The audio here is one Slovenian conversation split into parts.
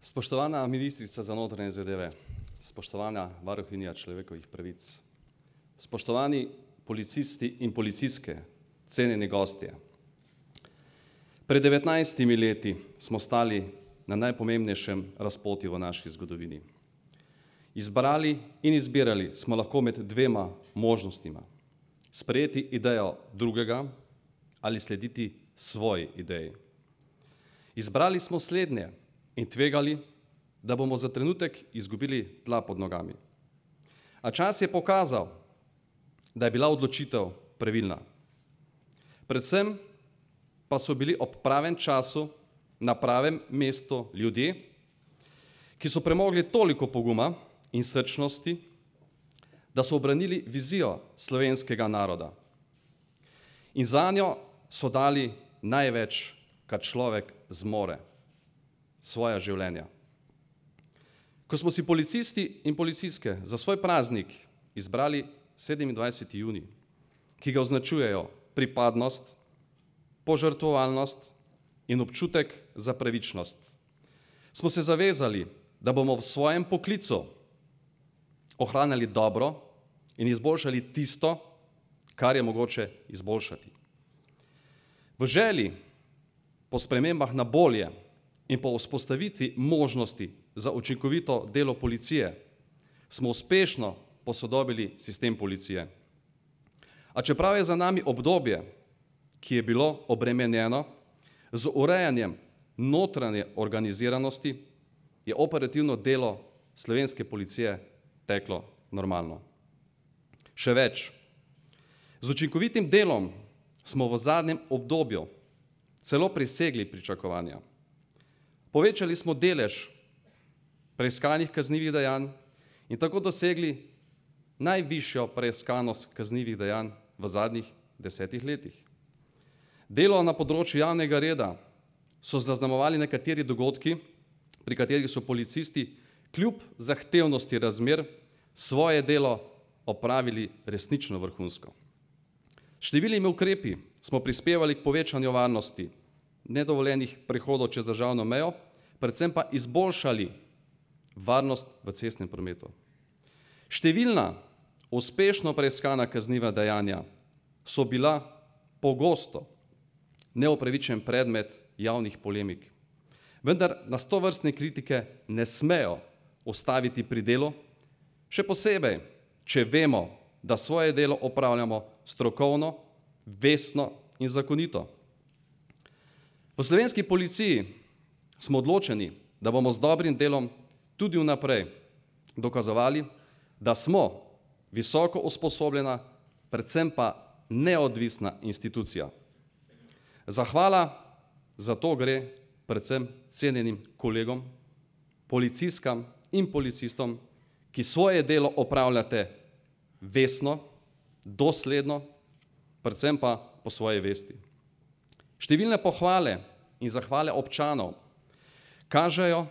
Spoštovana ministrica za notranje zadeve, spoštovana varuhinja človekovih pravic, spoštovani policisti in policistke, cenjeni gostje. Pred 19 leti smo stali na najpomembnejšem razpotju v naši zgodovini. Izbrali in izbirali smo lahko med dvema možnostima. Sprejeti idejo drugega ali slediti svoji ideji. Izbrali smo slednje in tvegali, da bomo za trenutek izgubili tla pod nogami. A čas je pokazal, da je bila odločitev pravilna. Predvsem pa so bili ob pravem času na pravem mestu ljudje, ki so premogli toliko poguma in srčnosti, da so obranili vizijo slovenskega naroda. In zanjo so dali največ, kar človek zmore, svoja življenja. Ko smo si policisti in policistke za svoj praznik izbrali 27. junij, ki ga označujejo pripadnost, požrtvovalnost in občutek za pravičnost, smo se zavezali, da bomo v svojem poklicu ohranjali dobro in izboljšali tisto, kar je mogoče izboljšati. V želji po spremembah na bolje in po vzpostavitvi možnosti za učinkovito delo policije smo uspešno posodobili sistem policije. A čeprav je za nami obdobje, ki je bilo obremenjeno z urejanjem notranje organiziranosti, je operativno delo slovenske policije teklo normalno. Še več, z učinkovitim delom smo v zadnjem obdobju celo presegli pričakovanja. Povečali smo delež preiskanih kaznivih dejanj in tako dosegli najvišjo preiskanost kaznivih dejanj v zadnjih 10 letih. Delo na področju javnega reda so zaznamovali nekateri dogodki, pri katerih so policisti kljub zahtevnosti razmer svoje delo opravili resnično vrhunsko. Številnimi ukrepi smo prispevali k povečanju varnosti, nedovoljenih prehodov čez državno mejo, predvsem pa izboljšali varnost v cestnem prometu. Številna uspešno preiskana kazniva dejanja so bila pogosto neupravičen predmet javnih polemik. Vendar nas tovrstne kritike ne smejo ustaviti pri delu, še posebej, če vemo, da svoje delo opravljamo strokovno, vestno in zakonito. V slovenski policiji smo odločeni, da bomo z dobrim delom tudi vnaprej dokazovali, da smo visoko usposobljena, predvsem pa neodvisna institucija. Zahvala za to gre predvsem cenjenim kolegom, policistkam in policistom, ki svoje delo opravljate vestno, dosledno, predvsem pa po svoji vesti. Številne pohvale in zahvale občanov kažejo,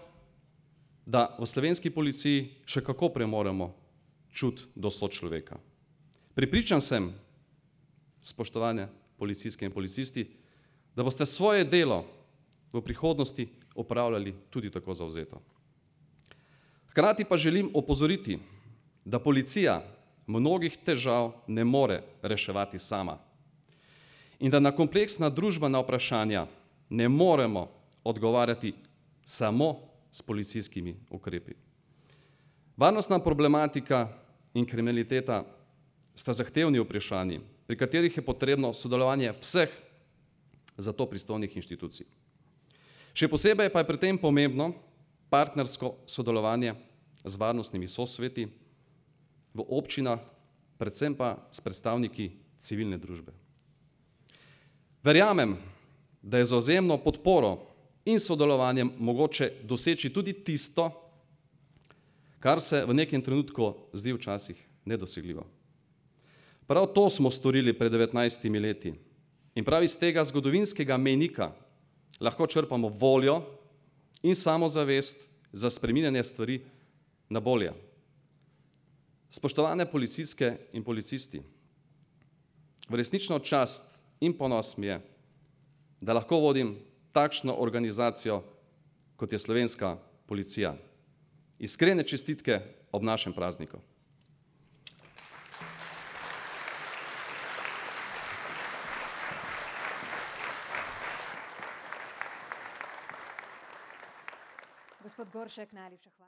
da v slovenski policiji še kako premoremo čut do sočloveka. Prepričan sem, spoštovane policistke in policisti, da boste svoje delo v prihodnosti opravljali tudi tako zavzeto. Hkrati pa želim opozoriti, da policija mnogih težav ne more reševati sama in da na kompleksna družbena vprašanja ne moremo odgovarjati samo s policijskimi ukrepi. Varnostna problematika in kriminaliteta sta zahtevni vprašanji, pri katerih je potrebno sodelovanje vseh za to pristojnih inštitucij. Še posebej pa je pri tem pomembno partnersko sodelovanje z varnostnimi sosveti v občinah, predvsem pa s predstavniki civilne družbe. Verjamem, da je z vzajemno podporo in sodelovanjem mogoče doseči tudi tisto, kar se v nekem trenutku zdi včasih nedosegljivo. Prav to smo storili pred 19 leti in prav iz tega zgodovinskega mejnika lahko črpamo voljo in samozavest za spreminjanje stvari na bolje. Spoštovane policistke in policisti, v resnično čast in ponos mi je, da lahko vodim takšno organizacijo, kot je Slovenska policija. Iskrene čestitke ob našem prazniku. Gospod Goršek, najlepša hvala.